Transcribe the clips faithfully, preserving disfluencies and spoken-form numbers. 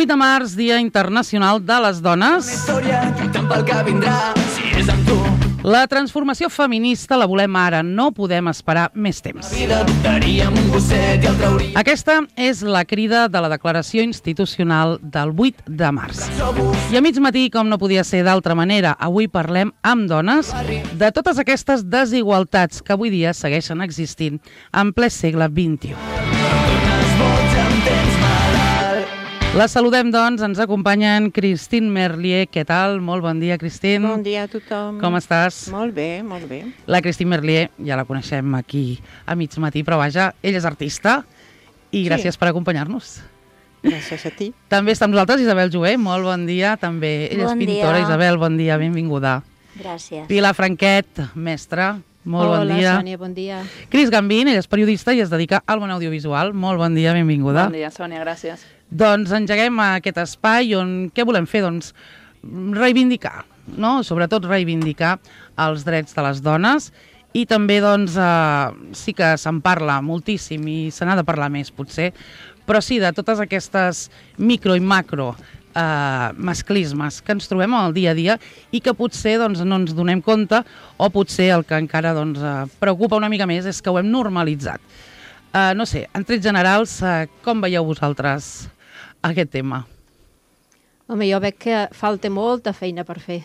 vuit de març, Dia Internacional de les Dones. La transformació feminista la volem ara, no podem esperar més temps. Aquesta és la crida de la Declaració Institucional del vuit de març. I a mig matí, com no podia ser d'altra manera, avui parlem amb dones de totes aquestes desigualtats que avui dia segueixen existint en ple segle vint-i-u. La saludem, doncs, ens acompanyen Christine Merlier. Què tal? Molt bon dia, Christine. Bon dia a tothom. Com estàs? Molt bé, molt bé. La Christine Merlier, ja la coneixem aquí a mig matí, però vaja, ella és artista i gràcies sí. per acompanyar-nos. Gràcies a ti. També està amb nosaltres Isabel Joé, molt bon dia. També ella bon és pintora. Dia. Isabel, bon dia, benvinguda. Gràcies. Pilar Franquet, mestra, molt Hola, bon dia. Hola, Sònia, bon dia. Cris Gambín, ell és periodista i es dedica al món audiovisual. Molt bon dia, benvinguda. Bon dia, Sònia, gràcies. Doncs engeguem aquest espai on què volem fer? Doncs reivindicar, no? Sobretot reivindicar els drets de les dones i també doncs eh, sí que se'n parla moltíssim i se n'ha de parlar més potser, però sí de totes aquestes micro i macro eh, masclismes que ens trobem al dia a dia i que potser doncs, no ens donem compte o potser el que encara doncs, eh, preocupa una mica més és que ho hem normalitzat. Eh, no sé, en trets generals, eh, com veieu vosaltres aquest tema? Home, jo veig que falta molta feina per fer.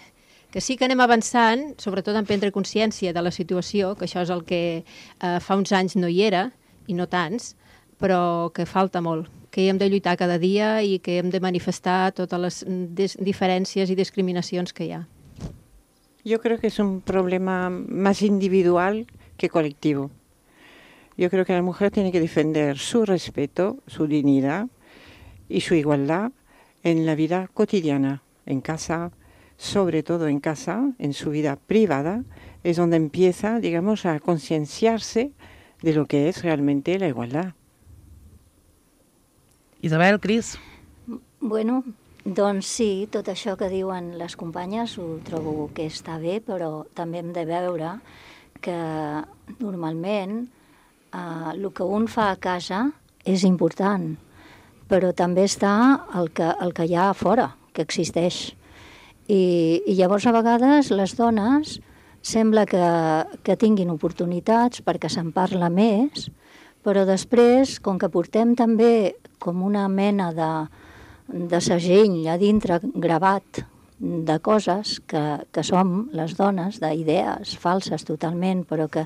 Que sí que anem avançant, sobretot en prendre consciència de la situació, que això és el que eh, fa uns anys no hi era, i no tants, però que falta molt, que hi hem de lluitar cada dia i que hem de manifestar totes les diferències i discriminacions que hi ha. Yo creo que es un problema más individual que colectivo. Yo creo que la mujer tiene que defender su respeto, su dignidad y su igualdad en la vida cotidiana, en casa, sobre todo en casa, en su vida privada, es donde empieza, digamos, a concienciarse de lo que es realmente la igualdad. Isabel, Cris? Bueno, doncs sí, tot això que diuen les companyes ho trobo que està bé, però també hem de veure que normalment eh, el que un fa a casa és important, però també està el que, el que hi ha a fora, que existeix. I, i llavors a vegades les dones sembla que, que tinguin oportunitats perquè se'n parla més, però després, com que portem també com una mena de, de segell a dintre gravat de coses que, que som les dones, d'idees falses totalment, però que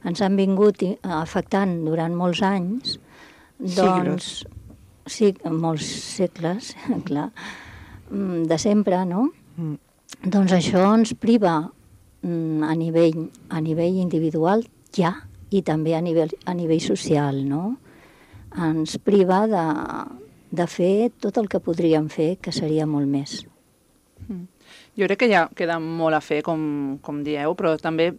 ens han vingut afectant durant molts anys, doncs... Siglos. Sí, molts segles, clar, de sempre, no? Mm. Doncs això ens priva a nivell, a nivell individual ja i també a nivell, a nivell social, no? Ens priva de, de fer tot el que podríem fer, que seria molt més. Mm. Jo crec que ja queda molt a fer, com, com dieu, però també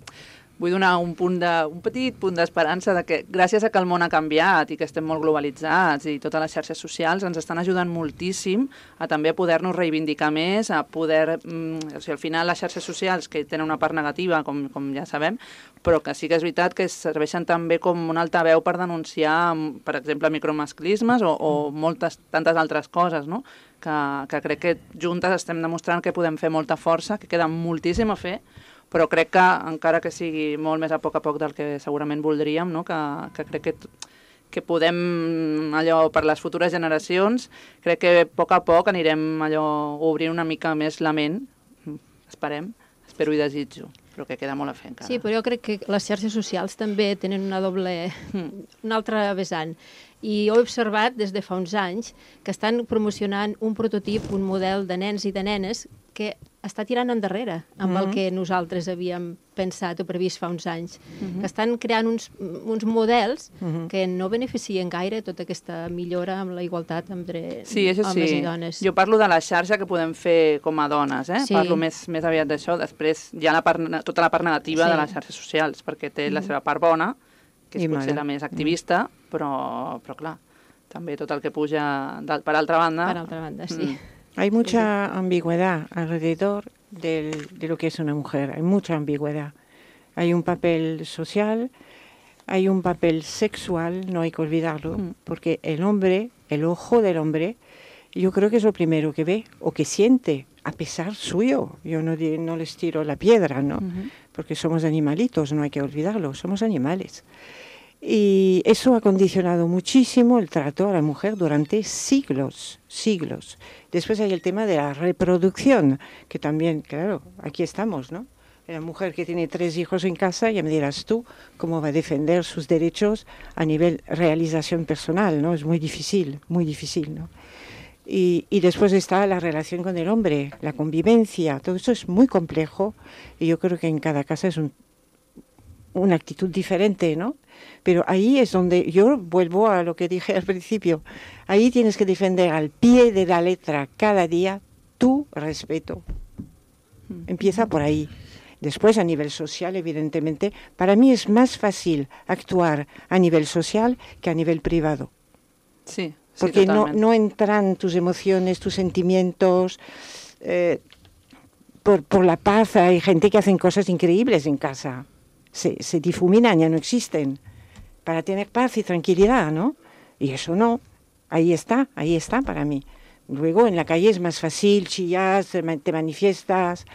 vull donar un, punt de, un petit punt d'esperança de que gràcies a que el món ha canviat i que estem molt globalitzats i totes les xarxes socials ens estan ajudant moltíssim a també poder-nos reivindicar més, a poder... Mm, o sigui, al final les xarxes socials que tenen una part negativa, com, com ja sabem, però que sí que és veritat que serveixen també com una altaveu per denunciar, per exemple, micromasclismes o, o moltes, tantes altres coses, no? Que, que crec que juntes estem demostrant que podem fer molta força, que queda moltíssim a fer, però crec que, encara que sigui molt més a poc a poc del que segurament voldríem, no? que, que crec que, que podem, allò, per les futures generacions, crec que a poc a poc anirem allò obrint una mica més la ment, esperem, espero i desitjo, però que queda molt a fer encara. Sí, però jo crec que les xarxes socials també tenen una doble, una altra vessant. I ho he observat des de fa uns anys que estan promocionant un prototip, un model de nens i de nenes que està tirant endarrere amb mm-hmm. el que nosaltres havíem pensat o previst fa uns anys. Mm-hmm. Que estan creant uns, uns models mm-hmm. que no beneficien gaire tota aquesta millora amb la igualtat entre sí, homes sí. i dones. Jo parlo de la xarxa que podem fer com a dones, eh? Sí. Parlo més, més aviat d'això. Després hi ha la part, tota la part negativa sí. de les xarxes socials, perquè té mm-hmm. la seva part bona, que és I potser mare. la més activista, mm. però, però clar, també tot el que puja per altra banda... Per altra banda, sí. Mm. Hay mucha ambigüedad alrededor del, de lo que es una mujer, hay mucha ambigüedad. Hay un papel social, hay un papel sexual, no hay que olvidarlo, mm. porque el hombre, el ojo del hombre, yo creo que es lo primero que ve o que siente, a pesar suyo. Yo no, no les tiro la piedra, ¿no? Uh-huh. Porque somos animalitos, no hay que olvidarlo, somos animales. Y eso ha condicionado muchísimo el trato a la mujer durante siglos, siglos. Después hay el tema de la reproducción, que también, claro, aquí estamos, ¿no? La mujer que tiene tres hijos en casa, ya me dirás tú cómo va a defender sus derechos a nivel realización personal, ¿no? Es muy difícil, muy difícil, ¿no? Y, y después está la relación con el hombre, la convivencia, todo eso es muy complejo y yo creo que en cada casa es un, una actitud diferente, ¿no? Pero ahí es donde yo vuelvo a lo que dije al principio, ahí tienes que defender al pie de la letra cada día tu respeto. Empieza por ahí. Después, a nivel social, evidentemente, para mí es más fácil actuar a nivel social que a nivel privado. Sí, sí, porque no, totalment. no entran tus emociones, tus sentimientos. Eh, por, por la paz, hay gente que hacen cosas increíbles en casa. Se, se difuminan, ya no existen. Para tener paz y tranquilidad, ¿no? Y eso no. Ahí está, ahí está para mí. Luego, en la calle es más fácil, chillas, te manifiestas,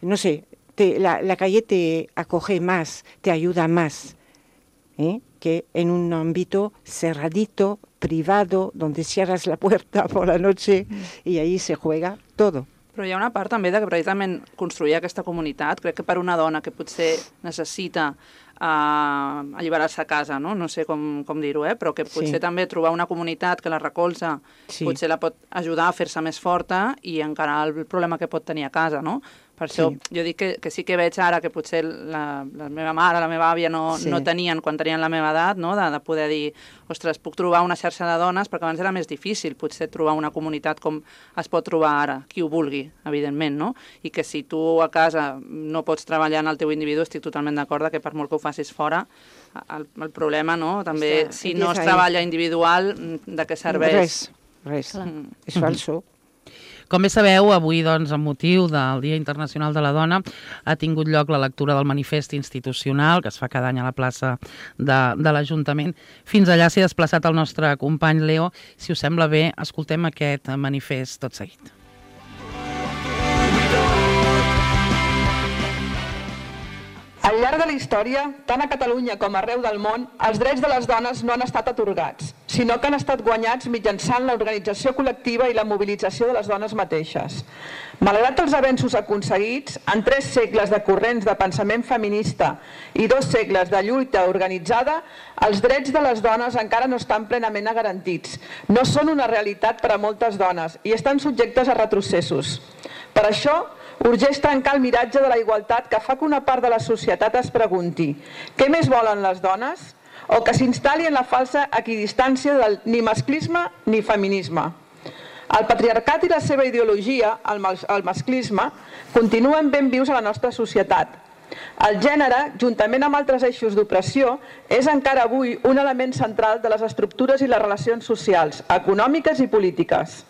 no sé. Te, la, la calle te acoge más, te ayuda más, ¿eh? Que en un ámbito cerradito, privado, donde cierras la puerta por la noche i ahí se juega todo. Però hi ha una part també de que precisament construir aquesta comunitat, crec que per una dona que potser necessita uh, alliberar-se a casa, no, no sé com, com dir-ho, eh? Però que potser sí. també trobar una comunitat que la recolza sí. potser la pot ajudar a fer-se més forta i encarar el problema que pot tenir a casa, no? Per això sí. jo dic que, que sí que veig ara que potser la, la meva mare, la meva àvia no, sí. no tenien quan tenien la meva edat, no? de, de poder dir, ostres, puc trobar una xarxa de dones, perquè abans era més difícil potser trobar una comunitat com es pot trobar ara, qui ho vulgui, evidentment, no? I que si tu a casa no pots treballar en el teu individu, estic totalment d'acord que per molt que ho facis fora, el, el problema, no? També, Està, si no es treballa individual, de què serveix? Res, res, mm. és falso. Com bé sabeu, avui, doncs, amb motiu del Dia Internacional de la Dona, ha tingut lloc la lectura del manifest institucional, que es fa cada any a la plaça de, de l'Ajuntament. Fins allà s'hi ha desplaçat el nostre company Leo. Si us sembla bé, escoltem aquest manifest tot seguit. Al llarg de la història, tant a Catalunya com arreu del món, els drets de les dones no han estat atorgats, sinó que han estat guanyats mitjançant l'organització col·lectiva i la mobilització de les dones mateixes. Malgrat els avenços aconseguits, en tres segles de corrents de pensament feminista i dos segles de lluita organitzada, els drets de les dones encara no estan plenament garantits. No són una realitat per a moltes dones i estan subjectes a retrocessos. Per això, urgeix tancar el miratge de la igualtat que fa que una part de la societat es pregunti què més volen les dones o que s'instal·li en la falsa equidistància del ni masclisme ni feminisme. El patriarcat i la seva ideologia, el, mas el masclisme, continuen ben vius a la nostra societat. El gènere, juntament amb altres eixos d'opressió, és encara avui un element central de les estructures i les relacions socials, econòmiques i polítiques.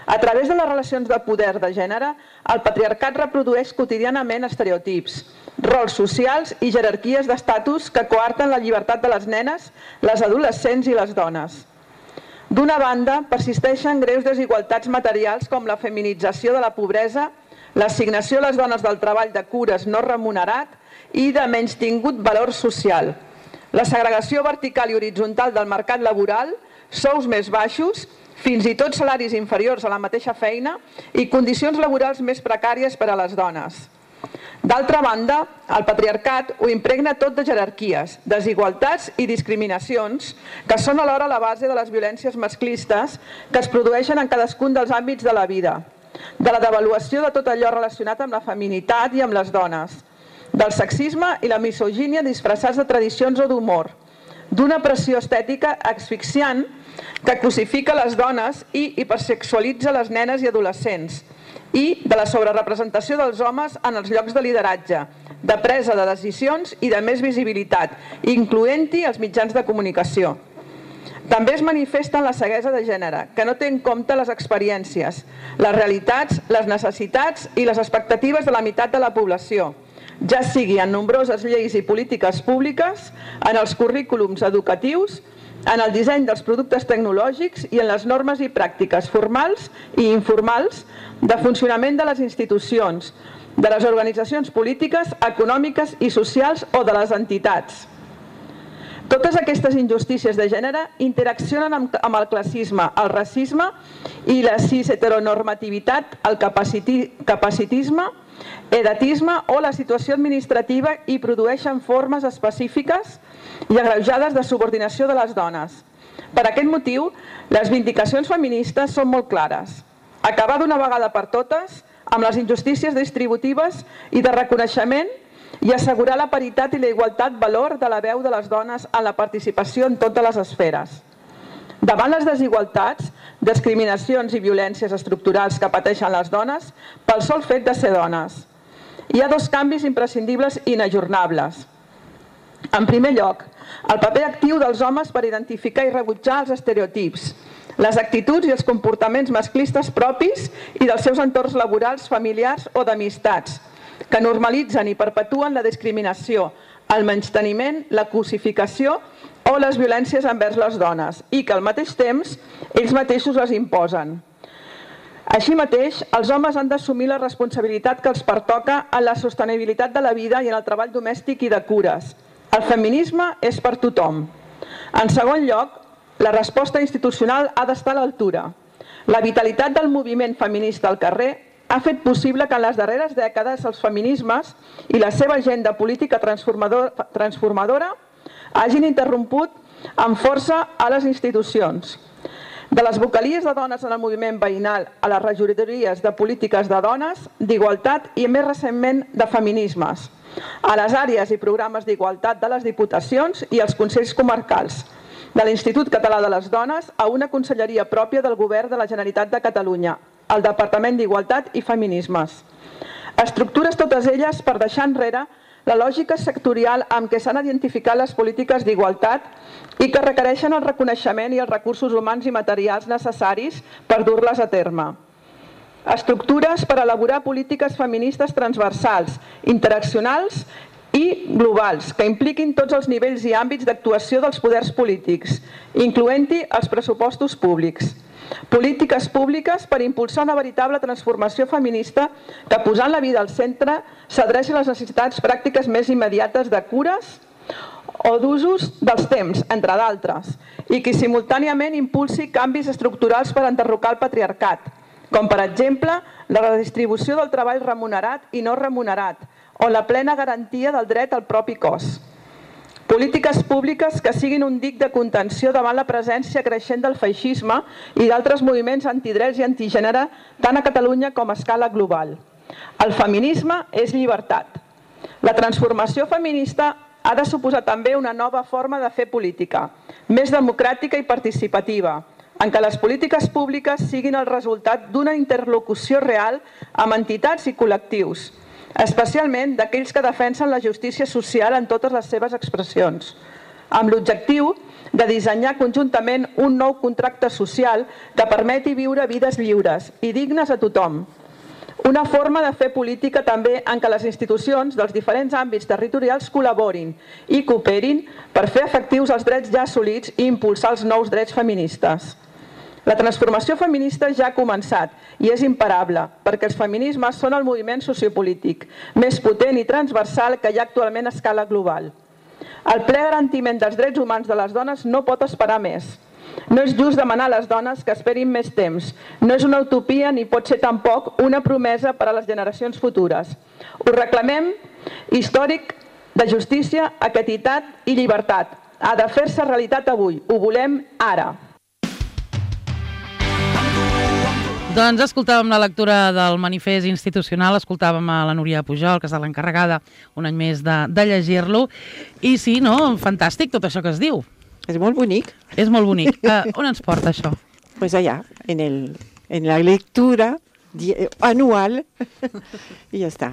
A través de les relacions de poder de gènere, el patriarcat reprodueix quotidianament estereotips, rols socials i jerarquies d'estatus que coarten la llibertat de les nenes, les adolescents i les dones. D'una banda, persisteixen greus desigualtats materials com la feminització de la pobresa, l'assignació a les dones del treball de cures no remunerat i de menystingut valor social. La segregació vertical i horitzontal del mercat laboral, sous més baixos, fins i tot salaris inferiors a la mateixa feina i condicions laborals més precàries per a les dones. D'altra banda, el patriarcat ho impregna tot de jerarquies, desigualtats i discriminacions que són alhora la base de les violències masclistes que es produeixen en cadascun dels àmbits de la vida, de la devaluació de tot allò relacionat amb la feminitat i amb les dones, del sexisme i la misogínia disfressats de tradicions o d'humor, d'una pressió estètica asfixiant que crucifica les dones i hipersexualitza les nenes i adolescents, i de la sobrerepresentació dels homes en els llocs de lideratge, de presa de decisions i de més visibilitat, incloent-hi els mitjans de comunicació. També es manifesta en la ceguesa de gènere, que no té en compte les experiències, les realitats, les necessitats i les expectatives de la meitat de la població, ja sigui en nombroses lleis i polítiques públiques, en els currículums educatius en el disseny dels productes tecnològics i en les normes i pràctiques formals i informals de funcionament de les institucions, de les organitzacions polítiques, econòmiques i socials o de les entitats. Totes aquestes injustícies de gènere interaccionen amb el classisme, el racisme i la cis-heteronormativitat, el capacitisme, edatisme o la situació administrativa i produeixen formes específiques i agreujades de subordinació de les dones. Per aquest motiu, les vindicacions feministes són molt clares. Acabar d'una vegada per totes amb les injustícies distributives i de reconeixement i assegurar la paritat i la igualtat valor de la veu de les dones en la participació en totes les esferes. Davant les desigualtats, discriminacions i violències estructurals que pateixen les dones pel sol fet de ser dones, hi ha dos canvis imprescindibles i inajornables. En primer lloc, el paper actiu dels homes per identificar i rebutjar els estereotips, les actituds i els comportaments masclistes propis i dels seus entorns laborals, familiars o d'amistats, que normalitzen i perpetuen la discriminació, el menysteniment, la cosificació o les violències envers les dones i que al mateix temps ells mateixos les imposen. Així mateix, els homes han d'assumir la responsabilitat que els pertoca en la sostenibilitat de la vida i en el treball domèstic i de cures. El feminisme és per tothom. En segon lloc, la resposta institucional ha d'estar a l'altura. La vitalitat del moviment feminista al carrer ha fet possible que en les darreres dècades els feminismes i la seva agenda política transformadora hagin interromput amb força a les institucions. De les vocalies de dones en el moviment veïnal a les regidories de polítiques de dones, d'igualtat i més recentment de feminismes, a les àrees i programes d'igualtat de les diputacions i els consells comarcals, de l'Institut Català de les Dones a una conselleria pròpia del Govern de la Generalitat de Catalunya, el Departament d'Igualtat i Feminismes. Estructures totes elles per deixar enrere la lògica sectorial amb què s'han identificat les polítiques d'igualtat i que requereixen el reconeixement i els recursos humans i materials necessaris per dur-les a terme. Estructures per elaborar polítiques feministes transversals, interaccionals i globals, que impliquin tots els nivells i àmbits d'actuació dels poders polítics, incloent-hi els pressupostos públics. Polítiques públiques per impulsar una veritable transformació feminista que, posant la vida al centre, s'adreci a les necessitats pràctiques més immediates de cures o d'usos dels temps, entre d'altres, i que simultàniament impulsi canvis estructurals per enderrocar el patriarcat, com per exemple la redistribució del treball remunerat i no remunerat, o la plena garantia del dret al propi cos. Polítiques públiques que siguin un dic de contenció davant la presència creixent del feixisme i d'altres moviments antidrets i antigènere tant a Catalunya com a escala global. El feminisme és llibertat. La transformació feminista ha de suposar també una nova forma de fer política, més democràtica i participativa, en què les polítiques públiques siguin el resultat d'una interlocució real amb entitats i col·lectius, especialment d'aquells que defensen la justícia social en totes les seves expressions, amb l'objectiu de dissenyar conjuntament un nou contracte social que permeti viure vides lliures i dignes a tothom. Una forma de fer política també en què les institucions dels diferents àmbits territorials col·laborin i cooperin per fer efectius els drets ja assolits i impulsar els nous drets feministes. La transformació feminista ja ha començat i és imparable, perquè els feminismes són el moviment sociopolític més potent i transversal que hi ha actualment a escala global. El ple garantiment dels drets humans de les dones no pot esperar més. No és just demanar a les dones que esperin més temps. No és una utopia ni pot ser tampoc una promesa per a les generacions futures. Ho reclamem històric de justícia, equitat i llibertat. Ha de fer-se realitat avui. Ho volem ara. Doncs escoltàvem la lectura del manifest institucional, escoltàvem a la Núria Pujol, que és l'encarregada un any més de, de llegir-lo, i sí, no, fantàstic tot això que es diu. És molt bonic. És molt bonic. Uh, on ens porta això? Pues allà, en, el, en la lectura anual, i ja està.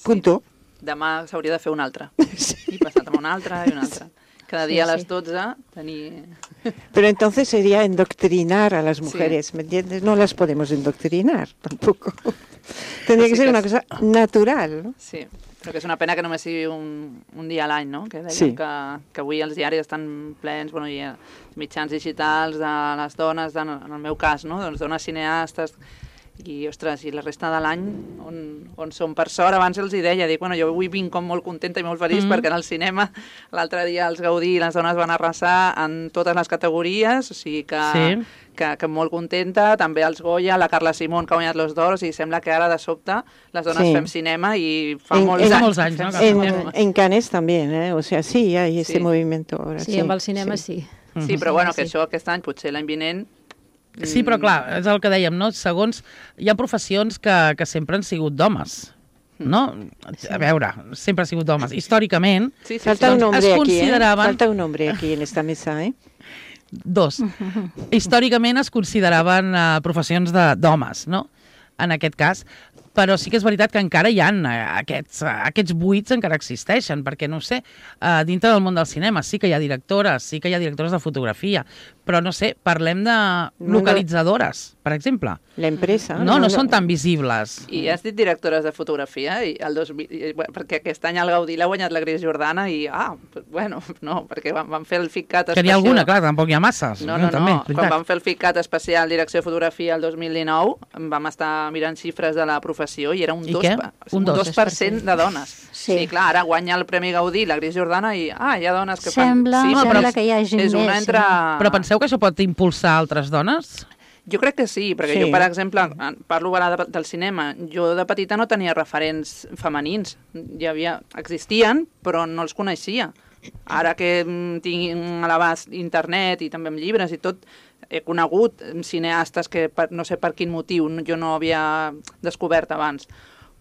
Punto. Sí. Demà s'hauria de fer una altra. Sí. I passat amb una altra i una altra. Cada día sí, a las sí. dotze tenir... Pero entonces sería endoctrinar a las mujeres, sí. ¿Me entiendes? No las podemos endoctrinar tampoco. Tendría que ser una cosa natural, ¿no? Sí. Però que és una pena que només sigui un, un dia a l'any, no? Que deien Sí. que, que avui els diaris estan plens, bueno, i els mitjans digitals de les dones, de, en el meu cas, no? Doncs dones cineastes, i, ostres, i la resta de l'any on, on som per sort, abans els hi deia, dic, bueno, jo avui vinc com molt contenta i molt feliç mm -hmm. perquè en el cinema l'altre dia els Gaudí i les dones van arrasar en totes les categories, o sigui que, Sí. que, que molt contenta, també els Goya, la Carla Simón que ha guanyat los d'or, o sigui, sembla que ara de sobte les dones Sí. fem cinema i fa En- molts en- anys. molts anys, fem no? cinema. En, en Cannes también, ¿eh? O sea, sí, hay ese Sí. movimiento ahora. Sí, amb el cinema sí. Sí, però bueno, que Sí. això aquest any, potser l'any vinent... Sí, però clar, és el que dèiem, no? Segons, hi ha professions que, que sempre han sigut d'homes, no? A veure, sempre han sigut d'homes. Històricament, Sí, sí, Falta sí. un Doncs hombre es aquí, ¿eh? consideraven- Falta un hombre aquí en esta mesa, ¿eh? dos. Històricament es consideraven uh, professions de- d'homes, no? En aquest cas. Però sí que és veritat que encara hi ha uh, aquests, uh, aquests buits encara existeixen, perquè, no ho sé, uh, dintre del món del cinema sí que hi ha directores, sí que hi ha directores de fotografia, però, no sé, parlem de localitzadores, per exemple. La empresa. No, no són tan visibles. I has dit directores de fotografia, i el dos mil, i, bueno, perquè aquest any el Gaudí l'ha guanyat la Gris Jordana i, ah, bueno, no, perquè van, van fer el FICAT Que n'hi ha alguna, clar, tampoc hi ha masses. No, no, no, també, no. Quan vam fer el FICAT especial Direcció de Fotografia el dos mil dinou, vam estar mirant xifres de la professió i era un I dos, què? pa- Un un dos. dos per cent de dones. Sí. sí, clar, ara guanya el Premi Gaudí la Gris Jordana i, ah, hi ha dones que Sembla, fan... sembla però que hi hagi és una més, entre... Però penseu que això pot impulsar altres dones? Jo crec que sí, perquè Sí. jo, per exemple, parlo ara de, del cinema, jo de petita no tenia referents femenins. Hi havia, existien, però no els coneixia. Ara que mm, tinc a l'abast internet i també amb llibres i tot, he conegut cineastes que per, no sé per quin motiu jo no havia descobert abans.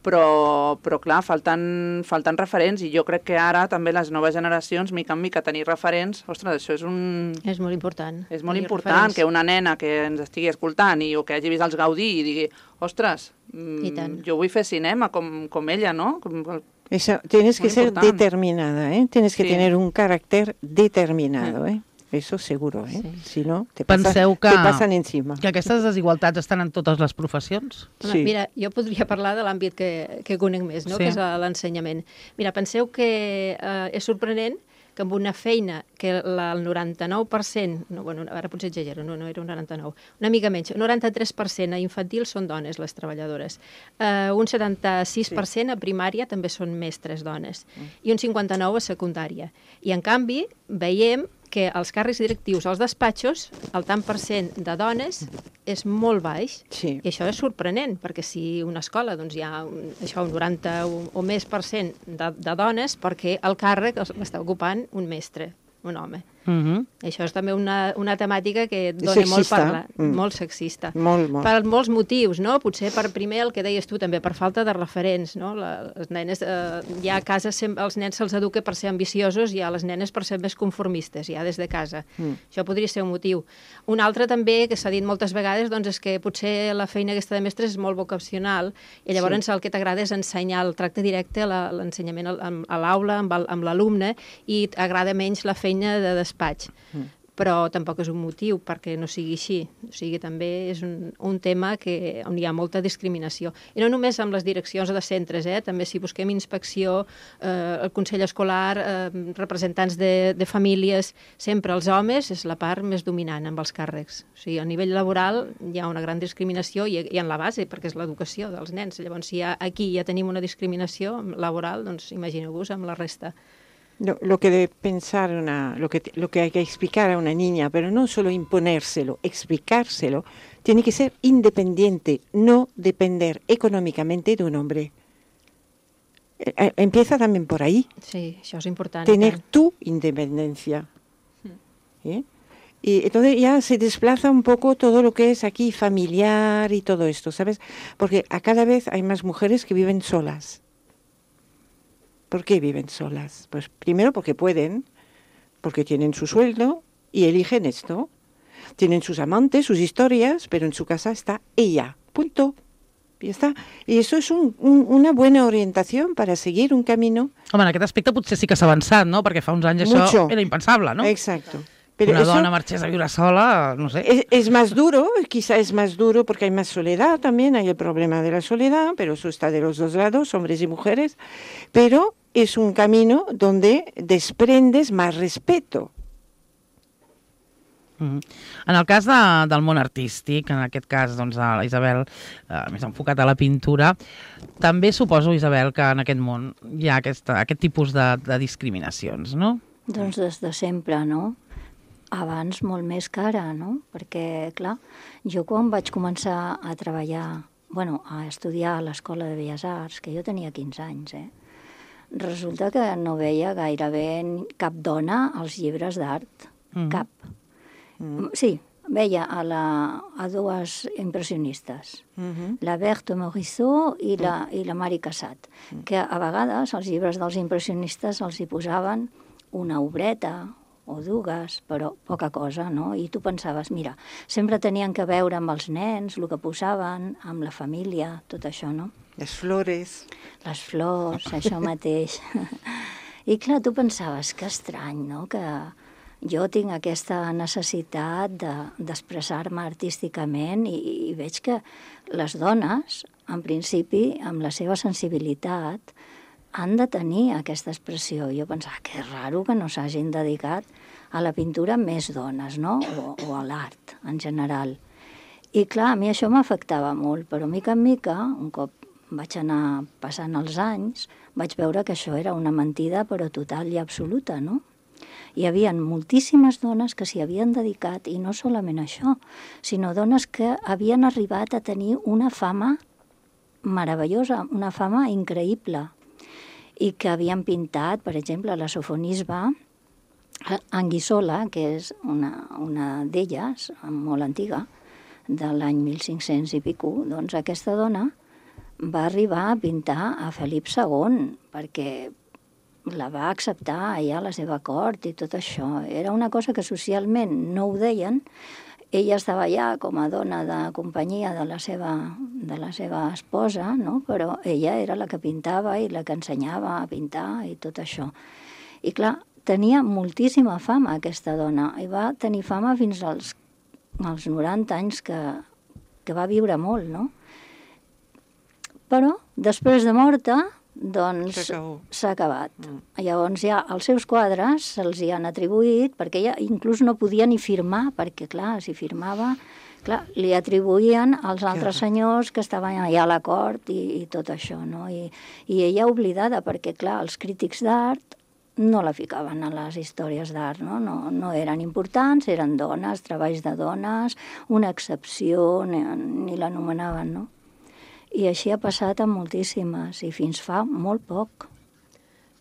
Però, però clar, falten, falten referents i jo crec que ara també les noves generacions, mica en mica, tenir referents, ostres, això és un... És molt important. És molt tenir important referents. que una nena que ens estigui escoltant i, o que hagi vist els Gaudí i digui, ostres, I tant. mm, jo vull fer cinema com, com ella, no? Com, Eso, tienes que Muy ser importante. determinada, ¿eh? Tienes que Sí. tener un carácter determinado, ¿eh? Eso seguro, ¿eh? Sí. Si no, te, pasa- Penseu que, te pasan encima. que aquestes desigualtats estan en totes les professions? Home, Sí. Mira, jo podria parlar de l'àmbit que, que conec més, no? Sí. Que és a l'ensenyament. Mira, penseu que eh, és sorprenent que amb una feina que la, el noranta-nou per cent, no, bueno, ara potser exagero, no, no era un noranta-nou, una mica menys, un noranta-tres per cent a infantil són dones, les treballadores. Uh, un setanta-sis per cent a primària també són mestres dones, i un cinquanta-nou per cent a secundària. I, en canvi, veiem que els càrrecs directius als despatxos, el tant per cent de dones és molt baix. Sí. I això és sorprenent, perquè si una escola doncs, hi ha un, això, un noranta o, o més per cent de, de dones, perquè el càrrec els- l'està ocupant un mestre, un home. Uh -huh. Això és també una, una temàtica que dona molt Sexista. parlar, Mm. molt sexista. Molt, molt. Per molts motius, no? Potser per primer el que deies tu, també per falta de referents, no? La, les nenes, eh, hi ha a casa, sem- els nens se'ls educa per ser ambiciosos i a les nenes per ser més conformistes, ja des de casa. Mm. Això podria ser un motiu. Un altre també, que s'ha dit moltes vegades, doncs és que potser la feina aquesta de mestres és molt vocacional i llavors sí. el que t'agrada és ensenyar el tracte directe, la- l'ensenyament al- amb- a l'aula, amb el- amb l'alumne, i t'agrada menys la feina de despatx. Mm. Però tampoc és un motiu perquè no sigui així. O sigui, també és un, un tema que, on hi ha molta discriminació. I no només amb les direccions de centres, eh? També si busquem inspecció, eh, el Consell Escolar, eh, representants de, de famílies, sempre els homes és la part més dominant amb els càrrecs. O sigui, a nivell laboral hi ha una gran discriminació i, i en la base, perquè és l'educació dels nens. Llavors, si ha, aquí ja tenim una discriminació laboral, doncs imagineu-vos amb la resta. Lo, lo que debe pensar una, lo que, lo que hay que explicar a una niña, pero no solo imponérselo, explicárselo, tiene que ser independiente, no depender económicamente de un hombre. Eh, eh, Empieza también por ahí, Sí, això és important. tener tu independencia. ¿Eh? Y entonces ya se desplaza un poco todo lo que es aquí familiar y todo esto, ¿sabes? Porque a cada vez hay más mujeres que viven solas. ¿Por qué viven solas? Pues primero porque pueden, porque tienen su sueldo y eligen esto. Tienen sus amantes, sus historias, pero en su casa está ella. Punto. Y está. Y eso es un, un, una buena orientación para seguir un camino. Home, en aquest aspecte potser sí que s'ha avançat, no? Perquè fa uns anys això Mucho. era impensable, no? Exacto. Pero una eso dona marchés a viure sola, no sé. es, es más duro, quizá es más duro porque hay más soledad también, hay el problema de la soledad, pero eso está de los dos lados, hombres y mujeres, pero es un camino donde desprendes más respeto. Mm. En el cas de, del món artístic, en aquest cas, doncs, a la Isabel, eh, més enfocat a la pintura, també suposo, Isabel, que en aquest món hi ha aquesta, aquest tipus de, de discriminacions, no? Doncs des de sempre, no? Abans molt més que ara, no? Perquè, clar, jo quan vaig començar a treballar, bueno, a estudiar a l'Escola de Belles Arts, que jo tenia quinze anys, eh? Resulta que no veia gairebé cap dona als llibres d'art, mm. cap. Mm. Sí, veia a, la, a dues impressionistes, mm-hmm. la Berthe Morisot i la, mm. i la Marie Cassatt, mm. que a vegades als llibres dels impressionistes els hi posaven una obreta o dues, però poca cosa, no? I tu pensaves, mira, sempre tenien que veure amb els nens, el que posaven, amb la família, tot això, no? Les flores. Les flors, això mateix. I clar, tu pensaves, que estrany, no?, que jo tinc aquesta necessitat de, d'expressar-me artísticament i, i veig que les dones, en principi, amb la seva sensibilitat, han de tenir aquesta expressió. Jo pensava que és raro que no s'hagin dedicat a la pintura més dones, no?, o, o a l'art en general. I clar, a mi això m'afectava molt, però mica en mica, un cop vaig anar passant els anys, vaig veure que això era una mentida, però total i absoluta, no? Hi havia moltíssimes dones que s'hi havien dedicat, i no solament això, sinó dones que havien arribat a tenir una fama meravellosa, una fama increïble, i que havien pintat, per exemple, la Sofonisba, Anguissola, que és una, una d'elles, molt antiga, de l'any mil cinc-cents i pico, doncs aquesta dona va arribar a pintar a Felip segon, perquè la va acceptar allà a la seva cort i tot això. Era una cosa que socialment no ho deien. Ella estava allà com a dona de companyia de la seva, de la seva esposa, no? Però ella era la que pintava i la que ensenyava a pintar i tot això. I clar, tenia moltíssima fama aquesta dona, i va tenir fama fins als, als noranta anys que, que va viure molt, no? Però després de morta, doncs s'ha acabat. Mm. Llavors ja els seus quadres se'ls hi han atribuït, perquè ella inclús no podia ni firmar, perquè clar, si firmava, clar, li atribuïen als altres senyors que estaven allà a la cort i, i tot això, no? I, i ella oblidada, perquè clar, els crítics d'art no la ficaven a les històries d'art, no? No, no eren importants, eren dones, treballs de dones, una excepció, ni, ni l'anomenaven, no? I així ha passat amb moltíssimes, i fins fa molt poc.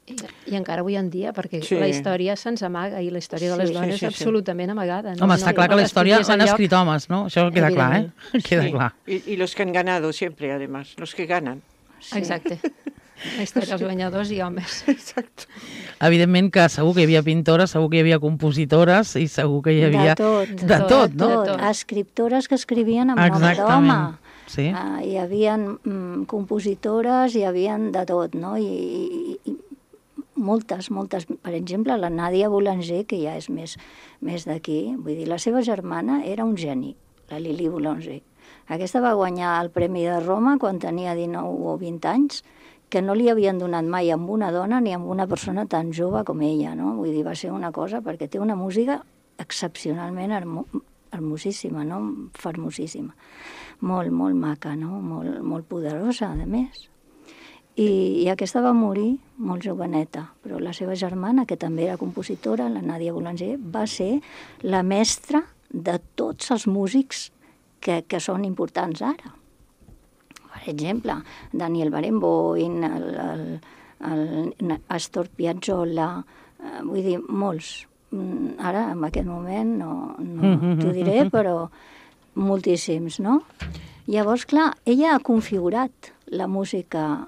I, i encara avui en dia, perquè sí. la història se'ns amaga, i la història de les sí, dones sí, sí, és absolutament sí. amagada. No? Home, està no, clar no que la història l'han lloc. escrit homes, ¿no? Això queda clar, eh? Queda sí. clar. Y, y los que han ganado siempre, además, los que ganan. Sí. Exacte. La història dels guanyadors i homes. Exacte. Evidentment que segur que hi havia pintores, segur que hi havia compositores i segur que hi havia... De tot. De, de tot, no? De tot. Escriptores que escrivien amb nom d'home. Sí. Uh, hi havia mm, compositores, hi havia de tot, no? I, i, i moltes, moltes. Per exemple, la Nàdia Boulanger, que ja és més, més d'aquí, vull dir, la seva germana era un geni, la Lili Boulanger. Aquesta va guanyar el Premi de Roma quan tenia dinou o vint anys, que no li havien donat mai amb una dona ni amb una persona tan jove com ella, no? Vull dir, va ser una cosa, perquè té una música excepcionalment hermo, hermosíssima, no? Fermosíssima. Molt, molt maca, no? Molt, molt poderosa, a més. I, I aquesta va morir molt joveneta, però la seva germana, que també era compositora, la Nàdia Boulanger, va ser la mestra de tots els músics que, que són importants ara. Per exemple, Daniel Barenboim, el, el, el Astor Piazzolla, eh, vull dir, molts. Ara, en aquest moment, no, no t'ho diré, però moltíssims, no? Llavors, clar, ella ha configurat la música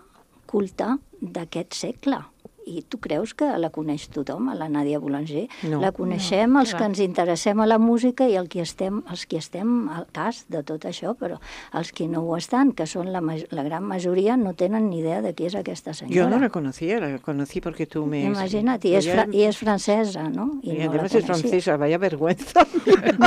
culta d'aquest segle I tu creus que la coneix tothom, a la Nàdia Boulanger? No. La coneixem No, els clar. que ens interessem a la música i el que estem, els que estem al cas de tot això, però els que no ho estan, que són la, ma- la gran majoria, no tenen ni idea de qui és aquesta senyora. Yo no la conocía, la conocí porque tú me... Imagina't, i és, fra i és francesa, no? Y I no la además es coneixia. francesa, vaya vergüenza.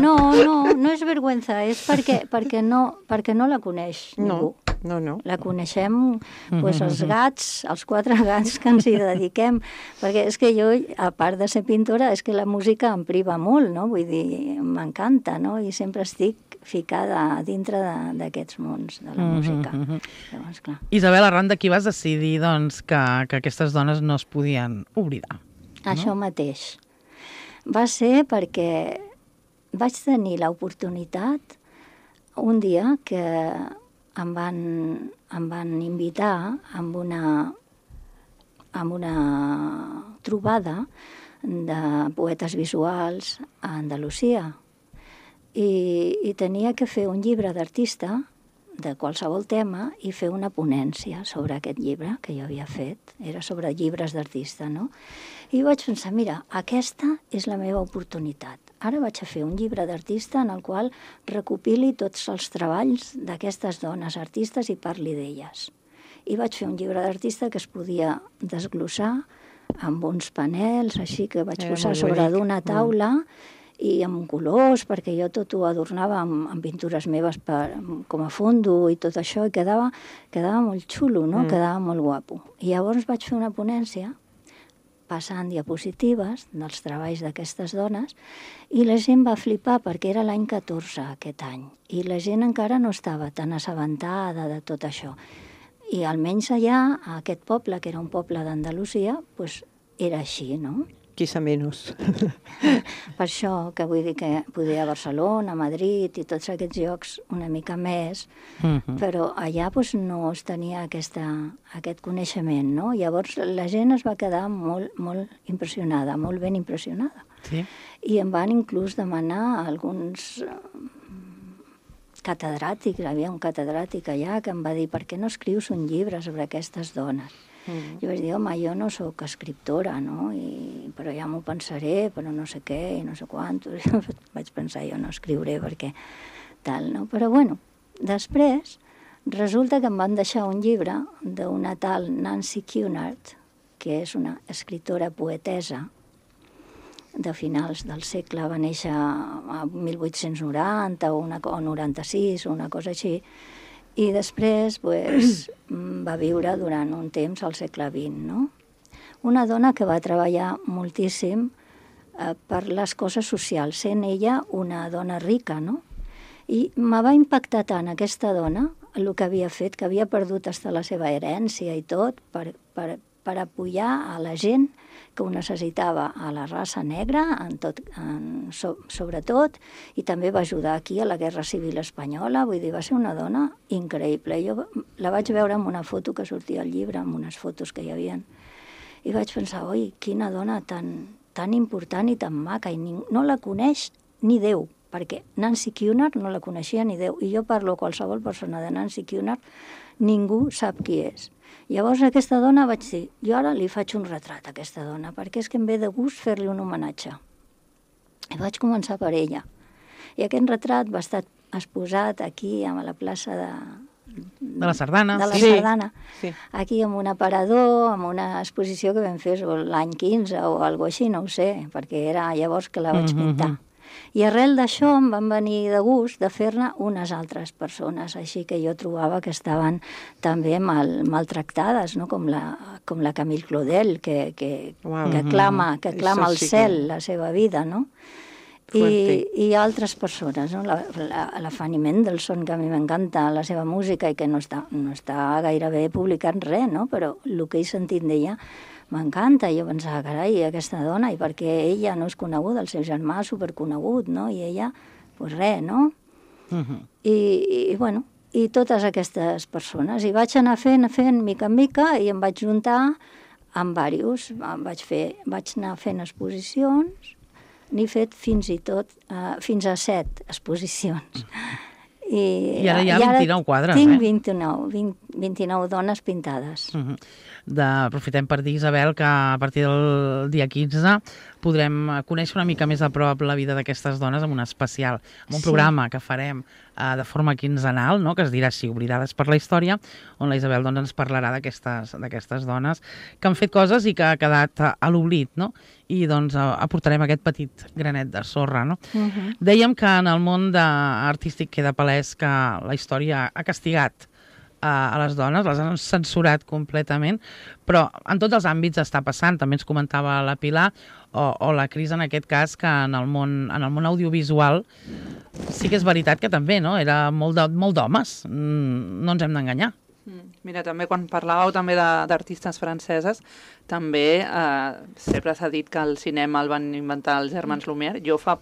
No, no, no és vergüenza, és perquè, perquè, no, perquè no la coneix ningú. No, no, no. La coneixem pues, els gats, els quatre gats que ens hi dediquem, perquè és que jo, a part de ser pintora, és que la música em priva molt, no? Vull dir, m'encanta, no? I sempre estic ficada dintre d'aquests mons de la música. Llavors, clar. Isabel, arran d'aquí vas decidir doncs, que, que aquestes dones no es podien oblidar. Això mateix. Va ser perquè vaig tenir l'oportunitat un dia que em van, em van invitar amb una, amb una trobada de poetes visuals a Andalusia. I, i tenia que fer un llibre d'artista de qualsevol tema i fer una ponència sobre aquest llibre que jo havia fet. Era sobre llibres d'artista, no? I vaig pensar, mira, aquesta és la meva oportunitat. Ara vaig a fer un llibre d'artista en el qual recopili tots els treballs d'aquestes dones artistes i parli d'elles. I vaig fer un llibre d'artista que es podia desglossar amb uns panels, així que vaig Era posar molt sobre bonic. d'una taula i amb colors, perquè jo tot ho adornava amb, amb pintures meves per, com a fondo i tot això, i quedava, quedava molt xulo, no? Mm. Quedava molt guapo. I llavors vaig fer una ponència passant diapositives dels treballs d'aquestes dones i la gent va flipar perquè era l'any catorze aquest any i la gent encara no estava tan assabentada de tot això. I almenys allà, a aquest poble, que era un poble d'Andalusia, pues, era així, no? Quizá menos. Per això que vull dir que podia a Barcelona, a Madrid i tots aquests llocs una mica més, Mhm. però allà doncs, no es tenia aquesta, aquest coneixement, no? Llavors la gent es va quedar molt, molt impressionada, molt ben impressionada. Sí. I em van inclús demanar alguns eh, catedràtics, hi havia un catedràtic allà que em va dir per què no escrius un llibre sobre aquestes dones? Mm. Jo vaig dir, home, jo no sóc escriptora, no? I, però ja m'ho pensaré, però no sé què, i no sé quantos. Vaig pensar, jo no escriuré perquè tal, no? Però bueno, després resulta que em van deixar un llibre d'una tal Nancy Cunard, que és una escriptora poetesa de finals del segle, va néixer a mil vuit-cents noranta o, una, o noranta-sis o una cosa així, i després pues, va viure durant un temps al segle vint, no? Una dona que va treballar moltíssim eh, per les coses socials, sent ella una dona rica, no? I me va impactar tant aquesta dona, el que havia fet, que havia perdut hasta la seva herència i tot, per, per, per apoyar a la gent que ho necessitava, a la raça negra, en tot, en, so, sobretot, i també va ajudar aquí a la Guerra Civil Espanyola, vull dir, va ser una dona increïble. Jo la vaig veure en una foto que sortia al llibre, amb unes fotos que hi havia, i vaig pensar, oi, quina dona tan, tan important i tan maca, i ni, no la coneix ni Déu, perquè Nancy Cunard no la coneixia ni Déu, i jo parlo a qualsevol persona de Nancy Cunard, ningú sap qui és. Llavors aquesta dona vaig dir, jo ara li faig un retrat a aquesta dona, perquè és que em ve de gust fer-li un homenatge. I vaig començar per ella. I aquest retrat va estar exposat aquí, a la plaça de... De la Sardana. De la Sí. Sardana. Sí. Aquí amb un aparador, amb una exposició que vam fer l'any quinze o alguna així, no ho sé, perquè era llavors que la vaig pintar. I arrel d'això em van venir de gust de fer-ne unes altres persones, així que jo trobava que estaven també mal, maltractades, no? com, la, com la Camille Claudel, que, que, Uau. que clama, que Això clama al sí que- cel la seva vida, no? I, Fuerte. i altres persones, no? La, la, la Fanny Mendelssohn, que a mi m'encanta la seva música i que no està, no està gairebé publicant res, no? Però el que he sentit d'ella m'encanta. Jo pensava, carai, aquesta dona, i perquè ella no és coneguda, el seu germà és superconegut, no? I ella, doncs res, no? Mhm. I, i, bueno, i totes aquestes persones. I vaig anar fent, fent, mica en mica, i em vaig juntar amb diversos. Vaig, fer, vaig anar fent exposicions, n'he fet fins i tot, uh, fins a set exposicions. I, I ara hi ha vint-i-nou quadres, tinc eh? vint-i-nou, vint, vint-i-nou dones pintades. Uh -huh. de, aprofitem per dir, Isabel, que a partir del dia quinze podrem conèixer una mica més a prop la vida d'aquestes dones amb un especial, amb un Sí. programa que farem uh, de forma quinzenal, no?, que es dirà així, Oblidades per la història, on la Isabel doncs, ens parlarà d'aquestes d'aquestes dones que han fet coses i que ha quedat a, a l'oblit, no? I doncs uh, aportarem aquest petit granet de sorra, no? Uh -huh. Dèiem que en el món de artístic queda palès que la història ha castigat a les dones, les han censurat completament, però en tots els àmbits està passant. També ens comentava la Pilar, o, o la Cris en aquest cas, que en el món, en el món audiovisual sí que és veritat que també, no?, era molt de, molt d'homes, mm, no ens hem d'enganyar. Mira, també quan parlàveu també d'artistes franceses, també eh, sempre s'ha dit que el cinema el van inventar els germans Lumière. Jo fa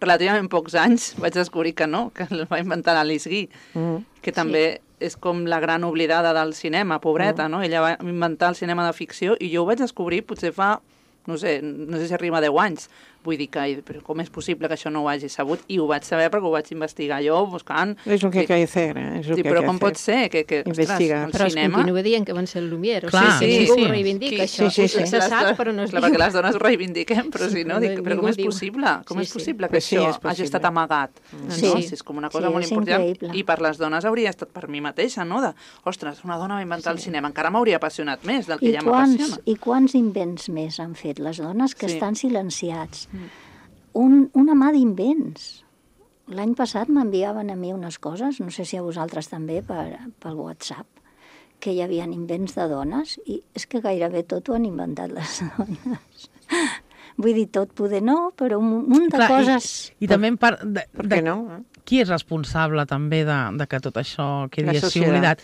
relativament pocs anys vaig descobrir que no, que el va inventar Alice Guy, mm. que també sí. és com la gran oblidada del cinema, pobreta, mm. no? Ella va inventar el cinema de ficció i jo ho vaig descobrir potser fa, no sé, no sé si arriba a deu anys. Vull dir que, però com és possible que això no ho hagi sabut? I ho vaig saber perquè ho vaig investigar jo, buscant... És el que hay que hacer, eh? És el sí, que però hay com que pot ser que, que investigar. Ostres, el però cinema... es continua dient que van ser el Lumière. Clar, o sigui, sí, ningú sí. ho reivindica, Sí, això. sí, sí. Se sap, però no es Clar, diu. perquè les dones ho reivindiquem, però si no, Sí, dic, però com és ningú diu. possible? Com Sí, és sí. possible que Pues sí, això és possible. hagi estat amagat? Sí. No? Si és com una cosa Sí, molt és important. increïble. I per les dones hauria estat per mi mateixa, no? De, ostres, una dona va inventar el cinema. Encara m'hauria apassionat més del que I ja quants, m'apassiona. I quants invents més han fet les dones que Sí. estan silenciats? Un, una mà d'invents. L'any passat m'enviaven a mi unes coses, no sé si a vosaltres també, per, pel WhatsApp, que hi havia invents de dones, i és que gairebé tot ho han inventat les dones. Vull dir, tot poder no, però un munt de Clar, coses... I, i també en part... De, Per de, què no? Eh? qui és responsable també de, de que tot això quedi La així societat. oblidat?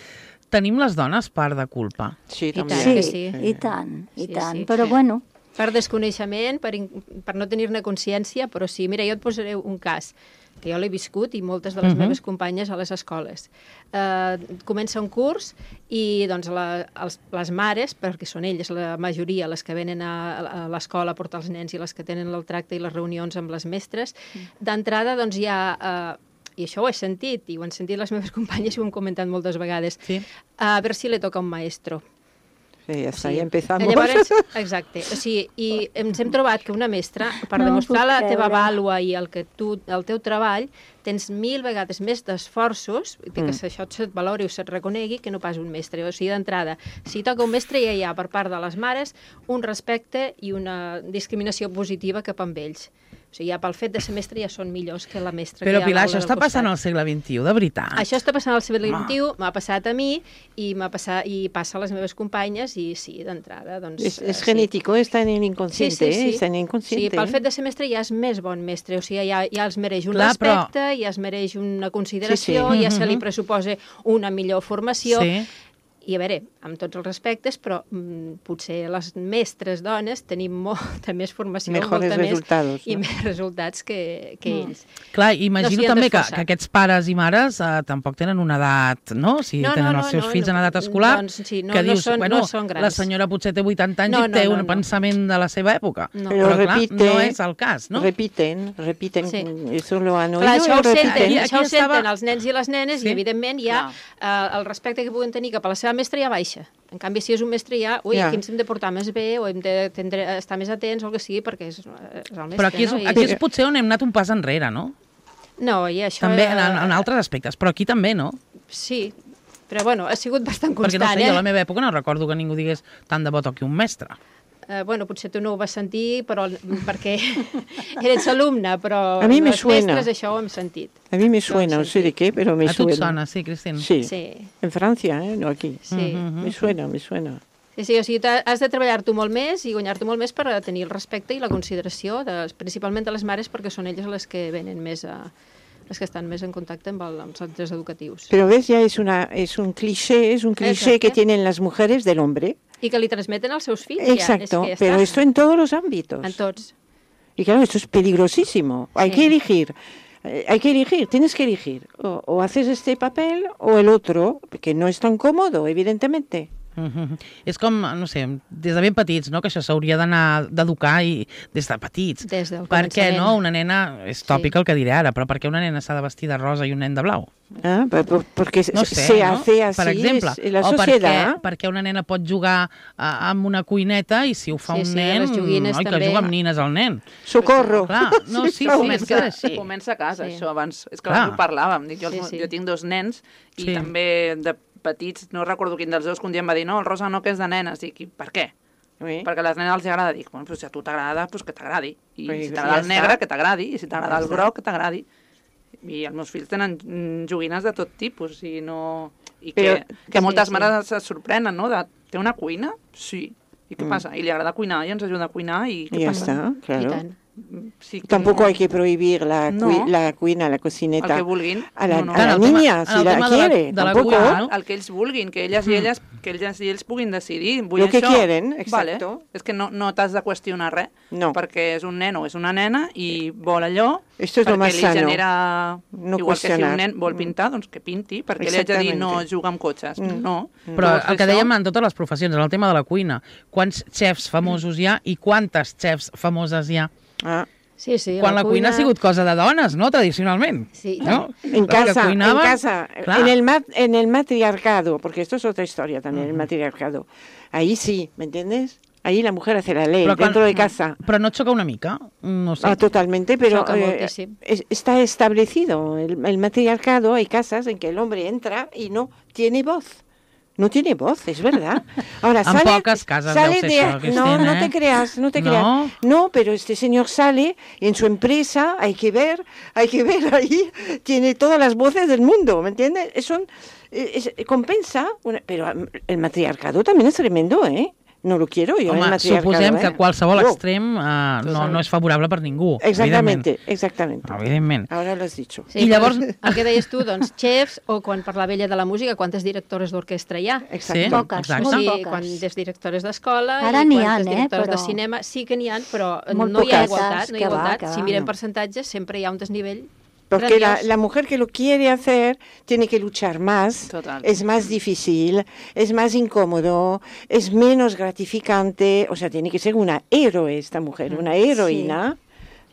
Tenim les dones part de culpa. Sí, I també. tant Sí, que sí. i tant, i Sí, tant. sí. Però bueno, Per desconeixement, per, in- per no tenir-ne consciència, però sí. Mira, jo et posaré un cas que jo l'he viscut i moltes de les Mhm. meves companyes a les escoles. Uh, comença un curs i doncs, la, els, les mares, perquè són elles la majoria les que venen a, a l'escola a portar els nens i les que tenen el tracte i les reunions amb les mestres, d'entrada doncs, hi ha... Uh, i això ho he sentit, i ho han sentit les meves companyes i ho hem comentat moltes vegades, Sí. a veure si le toca un maestro. Sí, ja està, Sí. ja empezamos. Llavors, exacte. O sigui, i ens hem trobat que una mestra, per No demostrar puc la teva creure. vàlua i el, que tu, el teu treball, tens mil vegades més d'esforços, mm. que això se't valori o se't reconegui, que no pas un mestre. O sigui, d'entrada, si toca un mestre ja hi ha, per part de les mares, un respecte i una discriminació positiva cap amb ells. O sigui, ja pel fet de ser mestre ja són millors que la mestra Però, que hi ha Pilar, a això l'aula està del passant costat. al segle vint-i-u, de veritat? Això està passant al segle vint-i-u, m'ha passat a mi i m'ha passat i passa a les meves companyes i sí, d'entrada, doncs... Es, eh, es sí. genético, está en el inconsciente, ¿eh? Está en el Sí, inconsciente. pel ¿eh? fet de ser mestre ja és més bon mestre, o sigui, ja, ja els mereix un Clar, però- respecte, ja es mereix una consideració, Sí, sí. ja se li Mhm. pressuposa una millor formació, Sí. i a veure, amb tots els respectes, però mm, potser les mestres dones tenim molta més formació, Mejores molta resultados, més, i no? més resultats que, que Mm. ells. Clar, imagino No s'hi han també que, d'esforçar. que aquests pares i mares eh, tampoc tenen una edat, no? Si tenen els seus fills en edat escolar, doncs sí, no, que no dius, són- bueno, no són grans. la senyora potser té vuitanta anys No, i té no, no, un no. pensament de la seva època. No. Pero Però, clar, repite, no és el cas, no? repiten, repiten, Sí. eso lo han oído Clar, això y ho senten, Aquí- repiten. aquí això ho estava- senten els nens i les nenes Sí. i, evidentment, ja eh, el respecte que puguen tenir cap a la seva mestra ja baixa. En canvi, si és un mestre ja, ui, Ja. aquí ens hem de portar més bé o hem de tendre, estar més atents o el que sigui, perquè és, és el mestre, Però aquí és, no? I- aquí és potser on hem anat un pas enrere, no? No, i això... També en, eh, en altres aspectes, però aquí també, no? Sí, però bueno, ha sigut bastant Perquè constant, no sé, eh? jo a la meva època no recordo que ningú digués tant de bo toqui un mestre. Eh, bueno, potser tu no ho vas sentir però, perquè eres alumne, però A mi me les suena. mestres això ho hem sentit. A mí me suena, no sé de qué, pero me A tu suena. et sona, sí, Cristina? Sí. Sí, En Francia, ¿eh? No aquí. sí. Mhm. Me suena, me suena. Sí, sí, o sigui, t'ha- has de treballar tu molt més i guanyar-te molt més per a tenir el respecte i la consideració, de, principalment de les mares, perquè són elles les que venen més a, les que estan més en contacte amb, el, amb els centres educatius. Pero ves, ya es una es un cliché, es un cliché Exacto. que tienen las mujeres del hombre. I que li transmeten als seus fills. Exacto, ja, és que ja pero està. esto en todos los ámbitos. En tots. Y claro, esto es peligrosísimo. Hay Sí. que elegir. Eh, Hay que elegir, tienes que elegir. O, o haces este papel o el otro, que no es tan cómodo, evidentemente. Mm-hmm. És com, no sé, des de ben petits, no?, que això s'hauria d'anar d'educar i des de petits. Des del Per què, començament. no? Una nena, és tòpic Sí. el que diré ara, però per què una nena s'ha de vestir de rosa i un nen de blau? Ah, per- per- porque No se sé, no? hace así Per exemple. es la o per què, sociedad. per què una nena pot jugar uh, amb una cuineta i si ho fa Sí, un sí, nen, les joguines oi, que també. juga amb nines el nen. Socorro. Clar, no, sí, sí, fa és que és així. Comença a casa, Sí. això, abans. És que Clar. abans ho parlàvem. Dic, jo, Sí, els- sí. jo tinc dos nens i Sí. també de petits, no recordo quin dels dos, que un dia em va dir, no, el rosa no, que és de nenes. Dic, i per què? Oui. Perquè a les nenes els agrada. Dic, bueno, pues si a tu t'agrada, pues que t'agradi. I Pues si ja t'agrada el està. negre, que t'agradi. I si t'agrada Ja el està. groc, que t'agradi. I els meus fills tenen mm, joguines de tot tipus i no... I que, Però- que sí, moltes sí. mares se sorprenen, no? De, té una cuina? Sí. I què Mm. passa? I li agrada cuinar i ens ajuda a cuinar i què Y ya passa? está, I claro. tant. Sí que Tampoco no- hay que prohibir la, No. cui- la cuina, la el cocineta que vulguin. a la, No, no. a la Clar, el tema- niña, en si el la tema de la- quiere. de la Tampoco. cuina, El, no? el que ells vulguin, que elles i elles, que elles i ells puguin decidir. Vull Lo que això. quieren, Vale. exacto. És que no, no t'has de qüestionar res, No. perquè és un nen o és una nena i vol allò, Esto es lo perquè más li sano. genera... No Igual que si qüestionar. un nen vol pintar, doncs que pinti, perquè li haig de dir no Exactamente. juga amb cotxes. Mm. No. Però Tu vols fer el que això? dèiem en totes les professions, en el tema de la cuina, quants xefs famosos hi ha i quantes xefs famoses hi ha? Ah, Sí, sí, Quan la cuina ha sigut cosa de dones, no?, tradicionalment. Sí, no? en Les que casa, cuinaven, en casa, clar. en el, mat- en el matriarcado, porque esto es otra historia también, el matriarcado. Ahí sí, ¿me entiendes? Ahí la mujer hace la ley, Però quan- dentro de casa. Però no et xoca una mica? No sé. Ah, totalmente, pero Choca eh, moltíssim. es- está establecido el, el matriarcado. Hay casas en que el hombre entra y no tiene voz. No tiene voz, es verdad. Ahora En sale, pocas casas sale deu ser de, això, Cristina, no, no ¿eh? te creas, no te No. creas. No, pero este señor sale en su empresa, hay que ver, hay que ver ahí, tiene todas las voces del mundo, ¿me entiendes? Es un- es- compensa, una- pero mm, el matriarcado también es tremendo, ¿eh? No lo quiero yo, el Home, matriarcado. suposem ¿eh? que qualsevol No. extrem uh, no, no és favorable per ningú, Exactamente, exactamente. evidentment. Ahora lo has dicho. Sí, I llavors- llavors... El que deies tu, doncs, xefs, o quan parlava ella de la música, quantes directores d'orquestra hi ha? Exacto. Sí, Poques, exacte. molt Sí, poques. quan des directores d'escola Ara i n'hi quantes han, eh, directores però- de cinema, sí que n'hi ha, però Molt no hi ha poquetes, igualtat. No hi que ha va, igualtat. que Si va, mirem no. percentatges, sempre hi ha un desnivell Porque la, grandiós. la mujer que lo quiere hacer tiene que luchar más, Total. es más difícil, es más incómodo, es menos gratificante, o sea, tiene que ser una héroe esta mujer, una heroína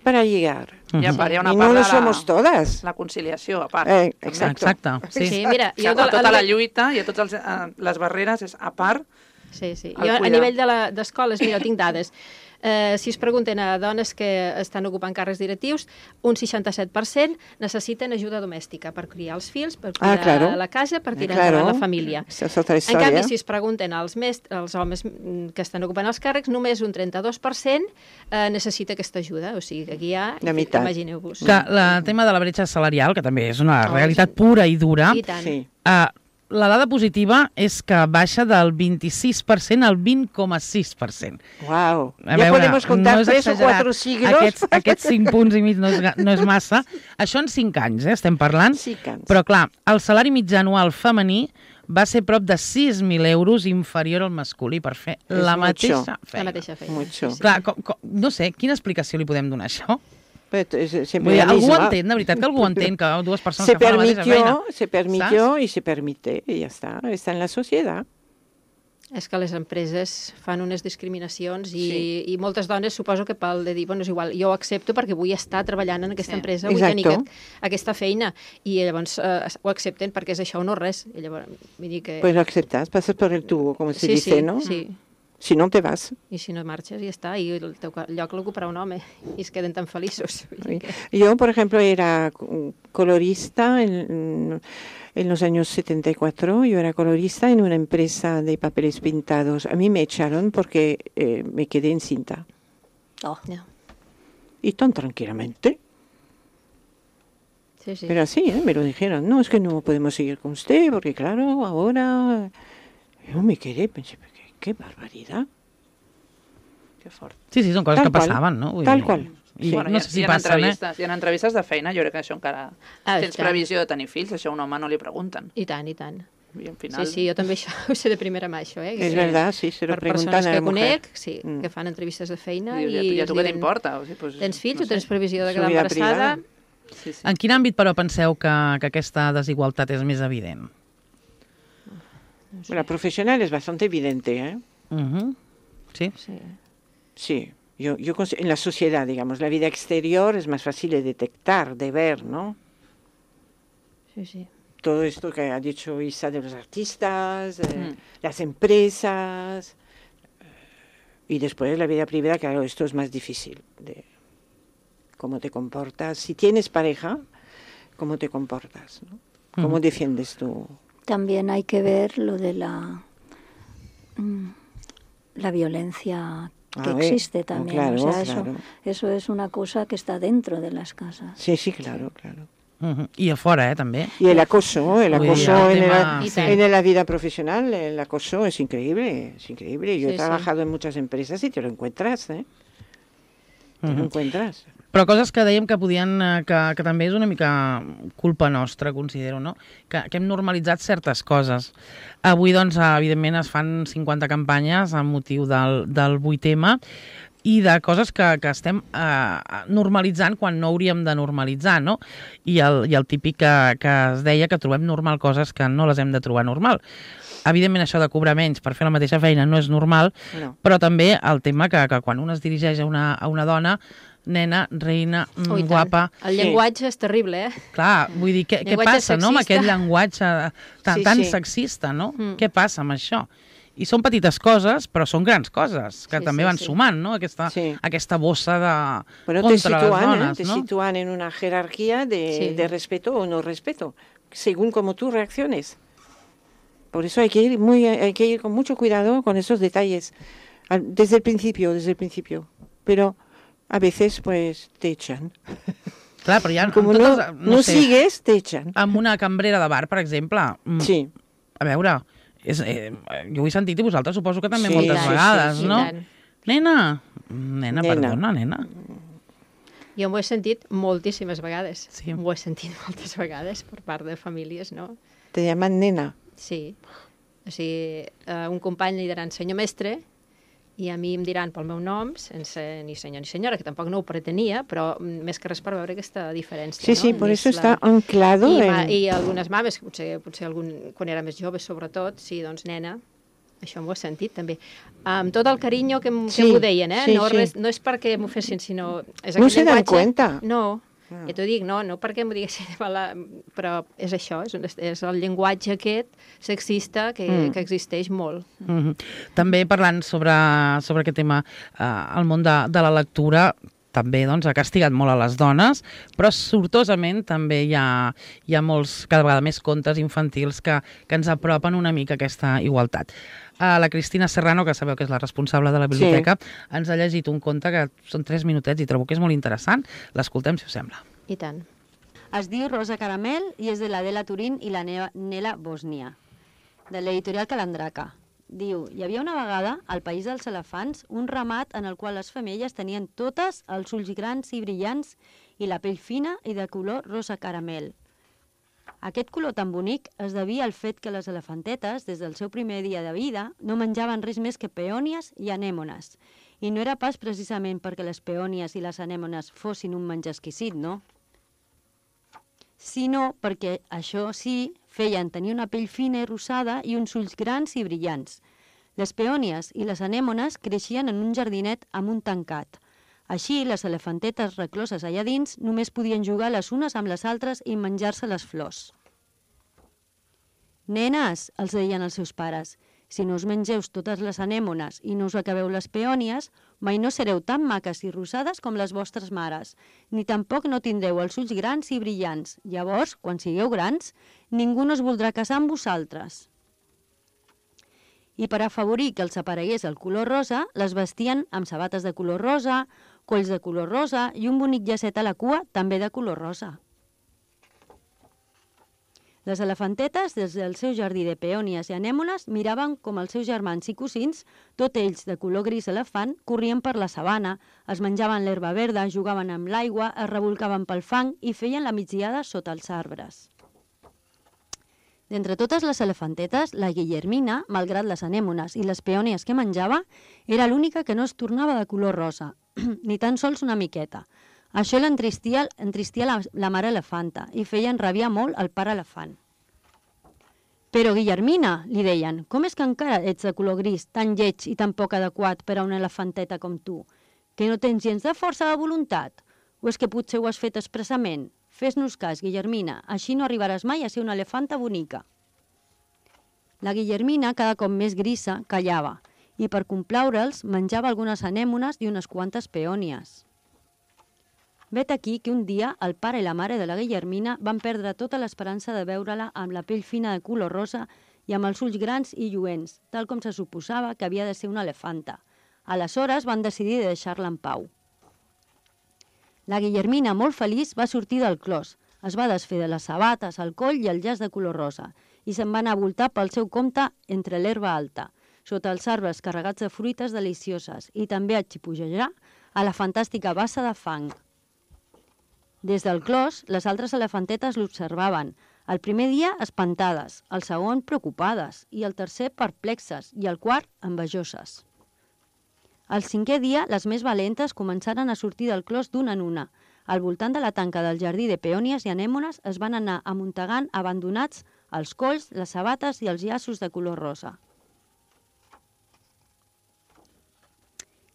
para llegar. I a part hi ha una Y part no de lo la, somos todas. la conciliació, a part. Eh, també. exacto. Exacte, sí. Sí, mira, Que jo a de, tota la nivell- lluita i a totes els, a, les barreres és a part. Sí, sí. El Jo, a cuidar. nivell de la- d'escoles, mira, tinc dades. Eh, si es pregunten a dones que estan ocupant càrrecs directius, un seixanta-set per cent necessiten ajuda domèstica per criar els fills, per Ah, cuidar claro. la casa, per tirar Claro. endavant la família. Esa es otra En historia. canvi, si es pregunten als, mestres, als homes mm, que estan ocupant els càrrecs, només un trenta-dos per cent eh, necessita aquesta ajuda. O sigui, que aquí hi ha, La meitat. imagineu-vos. Que el tema de la bretxa salarial, que també és una Oh, realitat sí. pura i dura, I tant. Sí. uh, la dada positiva és que baixa del vint-i-sis per cent al vint coma sis per cent. Wow. A Ya veure, podemos contar no és tres o exagerat. cuatro siglos. Aquests, aquests cinc punts i mig no és, ga- no és massa. Això en cinc anys, eh, estem parlant. Cinc anys. Però, clar, el salari mitjà anual femení va ser prop de sis mil euros inferior al masculí per fer És la mucho. mateixa feina. La mateixa feina. Mucho. Sí, sí. Clar, com, com, no sé, quina explicació li podem donar a això? Pero es- es siempre Vull dir, la algú ho misma. entén, de veritat que algú ho entén, que dues persones Se que fan la mateixa feina. permitió, se permitió y se permite, y ya está. Está en la sociedad. És que les empreses fan unes discriminacions i, Sí. i moltes dones suposo que pel de dir, bueno, és igual, jo ho accepto perquè vull estar treballant en aquesta Sí. empresa, vull Exacto. tenir aquest, aquesta feina, i llavors eh, ho accepten perquè és això o no res. I llavors, vull dir que... Pues lo aceptas, pasas por el tubo, como se sí, dice, sí, ¿no? sí. Si no te vas. I si no marxes, ja està, i el teu ca- lloc l'ocuparà un home, i es queden tan feliços. Vull dir que... Yo, por ejemplo, era mm, colorista en, en los años setenta y cuatro. Yo era colorista en una empresa de papeles pintados. A mí me echaron porque eh, me quedé encinta. Oh. No. Y tan tranquilamente. Sí, sí. Pero así, ¿eh? Me lo dijeron. No, es que no podemos seguir con usted porque, claro, ahora... Yo me quedé, pensé, qué, qué barbaridad. Que fort. Sí, sí, són coses Tal que qual. passaven, no? Vull Tal dir, qual. I bueno, no hi ha, sé si hi ha passen, eh? entrevistes, hi ha entrevistes de feina, jo crec que això encara... Ah, tens i tant. previsió de tenir fills, això a un home no li pregunten. I tant, i tant. I al final... Sí, sí, jo també això ho sé de primera mà, això, eh? Es Que- verdad, sí, se lo per preguntan persones a que la mujer. conec, sí, Mm. que fan entrevistes de feina Dius, i... ja, ja els tu què diuen, t'importa? O sigui, pues, Tens fills no o tens sé. previsió de Su quedar vida embarassada? privada. Sí, sí. En quin àmbit, però, penseu que, que aquesta desigualtat és més evident? La profesional es bastante evidente, ¿eh? Uh-huh. Sí. Sí. Sí. Yo, yo cons- en la sociedad, digamos, la vida exterior es más fácil de detectar, de ver, ¿no? Sí, sí. Todo esto que ha dicho Isa de los artistas, eh, Mm. las empresas, eh, y después la vida privada, claro, esto es más difícil, de cómo te comportas. Si tienes pareja, cómo te comportas, ¿no? ¿Cómo Ujú. defiendes tú? También hay que ver lo de la, mm, la violencia que A ver, existe oh, también. claro, o sea, eso, claro. eso es una cosa que está dentro de las casas. Sí, sí, claro, claro. Uh-huh. I a fora, eh, també. Y el acoso, el Uy, acoso el en, tema, la, sí. en la vida profesional, el acoso es increíble, es increíble. Yo Sí, he sí. trabajado en muchas empresas y te lo encuentras, ¿eh? Te lo Uh-huh. encuentras. Però coses que dèiem que podien, eh, que, que també és una mica culpa nostra, considero, no? Que, que hem normalitzat certes coses. Avui, doncs, evidentment, es fan cinquanta campanyes amb motiu del, del vuit eme i de coses que, que estem eh, normalitzant quan no hauríem de normalitzar, no? I el, i el típic que, que es deia que trobem normal coses que no les hem de trobar normal. Evidentment, això de cobrar menys per fer la mateixa feina no és normal, No. però també el tema que, que quan un es dirigeix a una, a una dona, nena, reina, mm, Oh, i tant. guapa... El Sí. llenguatge és terrible, eh? Clar, vull dir, què, què Llenguatge passa, no?, amb sexista. aquest llenguatge tan, Sí, tan sí. sexista, no? Mm. Què passa amb això? I són petites coses, però són grans coses, que Sí, també sí, van sí. sumant, no?, aquesta, Sí. aquesta bossa de... Bueno, te contra les sitúan, ¿eh? dones, Te no? sitúan en una jerarquía de, Sí. de respeto o no respeto, según cómo tú reacciones. Por eso hay que ir muy, hay que ir con mucho cuidado con esos detalles, al- desde el principio, desde el principio. Pero a veces, pues, te echan. Clar, però ja... Como amb no, totes, no sé, sigues, te echan. amb una cambrera de bar, per exemple, mm, Sí, a veure, és, eh, jo ho he sentit i vosaltres suposo que també Sí, moltes sí, vegades, sí, sí. no? I tant. Nena, nena, Nena. perdona, nena. Jo m'ho he sentit moltíssimes vegades. Sí. M'ho he sentit moltes vegades per part de famílies, no? te llaman nena. Sí. O sigui, eh, un company li diran senyor mestre i a mi em diran pel meu nom, sense ni senyor ni senyora, que tampoc no ho pretenia, però mm, més que res per veure aquesta diferència. Sí, no? sí, por És eso está anclado I, ma, en... I algunes mames, potser, potser algun, quan era més jove, sobretot, sí, doncs nena, això m'ho he sentit també. Amb tot el carinyo que, m- que Sí, m'ho deien, eh? sí, no, sí. res, no és perquè m'ho fessin, sinó... És No aquest se dan llenguatge- cuenta. No, Ah. ja t'ho dic, no, no perquè m'ho diguessin, però és això, és, un- és el llenguatge aquest sexista que, Mm. que existeix molt. Mm -hmm. També parlant sobre, sobre aquest tema, eh, el món de, de la lectura també doncs, ha castigat molt a les dones, però sortosament també hi ha, hi ha molts, cada vegada més contes infantils que, que ens apropen una mica a aquesta igualtat. Uh, la Cristina Serrano, que sabeu que és la responsable de la biblioteca, sí. ens ha llegit un conte que són tres minutets i trobo que és molt interessant. L'escoltem, si us sembla. I tant. Es diu Rosa Caramel i és de l'Adela Turín i la Neva- Nela Bosnia, de l'editorial Calandraca. Diu, hi havia una vegada, al País dels Elefants, un ramat en el qual les femelles tenien totes els ulls grans i brillants i la pell fina i de color rosa caramel. Aquest color tan bonic es devia al fet que les elefantetes, des del seu primer dia de vida, no menjaven res més que peònies i anèmones. I no era pas precisament perquè les peònies i les anèmones fossin un menjar exquisit, no? Sinó perquè això sí feien tenir una pell fina i rosada i uns ulls grans i brillants. Les peònies i les anèmones creixien en un jardinet amb un tancat. Així, les elefantetes recloses allà dins només podien jugar les unes amb les altres i menjar-se les flors. Nenes, els deien els seus pares, si no us mengeu totes les anèmones i no us acabeu les peònies, mai no sereu tan maques i rosades com les vostres mares, ni tampoc no tindreu els ulls grans i brillants. Llavors, quan sigueu grans, ningú no es voldrà casar amb vosaltres. I per afavorir que els aparegués el color rosa, les vestien amb sabates de color rosa, colls de color rosa i un bonic llacet a la cua també de color rosa. Les elefantetes, des del seu jardí de peònies i anèmones, miraven com els seus germans i cosins, tots ells de color gris elefant, corrien per la sabana, es menjaven l'herba verda, jugaven amb l'aigua, es revolcaven pel fang i feien la migdiada sota els arbres. D'entre totes les elefantetes, la Guillermina, malgrat les anèmones i les peònies que menjava, era l'única que no es tornava de color rosa, ni tan sols una miqueta. Això l'entristia entristia la, la mare elefanta i feia enrabiar molt el pare elefant. Però, Guillermina, li deien, com és que encara ets de color gris, tan lleig i tan poc adequat per a una elefanteta com tu? Que no tens gens de força de voluntat? O és que potser ho has fet expressament? Fes-nos cas, Guillermina, així no arribaràs mai a ser una elefanta bonica. La Guillermina, cada cop més grisa, callava, i per complaure'ls menjava algunes anèmones i unes quantes peònies. Vet aquí que un dia el pare i la mare de la Guillermina van perdre tota l'esperança de veure-la amb la pell fina de color rosa i amb els ulls grans i lluents, tal com se suposava que havia de ser una elefanta. Aleshores van decidir de deixar-la en pau. La Guillermina, molt feliç, va sortir del clos, es va desfer de les sabates, el coll i el llaç de color rosa i se'n va anar a voltar pel seu compte entre l'herba alta, sota els arbres carregats de fruites delicioses i també a xipujejar a la fantàstica bassa de fang. Des del clos, les altres elefantetes l'observaven, el primer dia espantades, el segon preocupades i el tercer perplexes i el quart envejoses. El cinquè dia, les més valentes començaren a sortir del clos d'una en una. Al voltant de la tanca del jardí de peònies i anèmones es van anar amuntegant abandonats els colls, les sabates i els llaços de color rosa.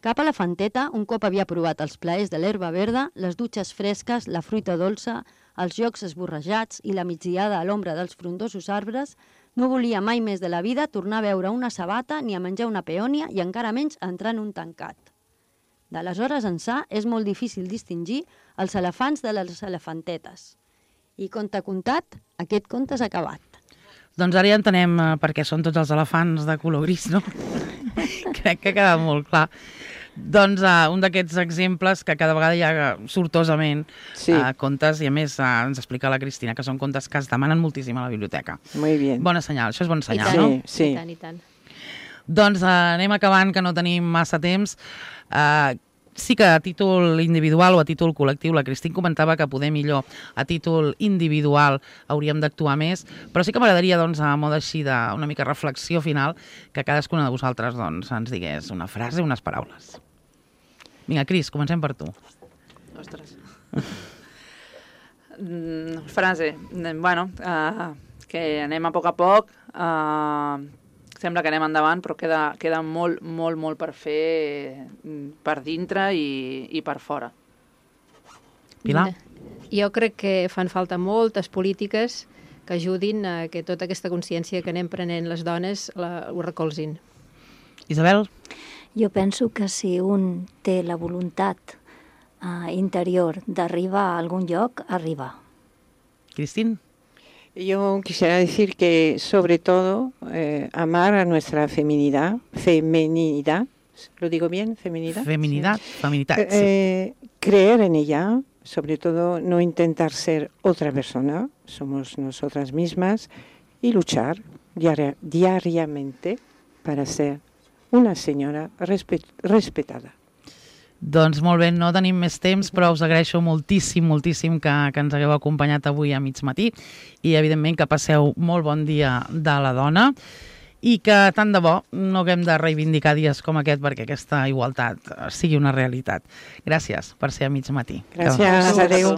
Cap elefanteta, un cop havia provat els plaers de l'herba verda, les dutxes fresques, la fruita dolça, els jocs esborrejats i la migdiada a l'ombra dels frondosos arbres, no volia mai més de la vida tornar a veure una sabata ni a menjar una peònia i encara menys entrar en un tancat. D'aleshores ençà és molt difícil distingir els elefants de les elefantetes. I conte contat, aquest conte s'ha acabat. Doncs ara ja entenem eh, per què són tots els elefants de color gris, no? Crec que ha quedat molt clar. Doncs uh, un d'aquests exemples que cada vegada hi ha sortosament Sí. uh, contes, i a més uh, ens explica la Cristina que són contes que es demanen moltíssim a la biblioteca. Muy bien. Bona senyal, això és bon senyal, tant. no? Sí, sí. I tant, i tant. Doncs uh, anem acabant, que no tenim massa temps. Uh, sí que a títol individual o a títol col·lectiu, la Cristina comentava que poder millor a títol individual hauríem d'actuar més, però sí que m'agradaria, doncs, a mode així d'una mica reflexió final, que cadascuna de vosaltres doncs, ens digués una frase, unes paraules. Vinga, Cris, comencem per tu. Ostres. Mm, frase. Bueno, uh, que anem a poc a poc, uh, sembla que anem endavant, però queda, queda molt, molt, molt per fer per dintre i, i per fora. Pilar? Jo crec que fan falta moltes polítiques que ajudin a que tota aquesta consciència que anem prenent les dones la, ho recolzin. Isabel? Jo penso que si un té la voluntat uh, interior d'arribar a algun lloc, arriba. Cristín? Yo quisiera decir que sobre todo eh, amar a nuestra feminidad, feminidad, ¿lo digo bien? Feminidad. Feminidad, Sí. feminidad, sí. Eh, creer en ella, sobre todo no intentar ser otra persona, somos nosotras mismas, y luchar diaria, diariamente para ser una senyora respet, respetada. Doncs molt bé, no tenim més temps, però us agraeixo moltíssim, moltíssim que, que ens hagueu acompanyat avui a mig matí i, evidentment, que passeu molt bon dia de la dona i que, tant de bo, no haguem de reivindicar dies com aquest perquè aquesta igualtat sigui una realitat. Gràcies per ser a mig matí. Gràcies, adéu.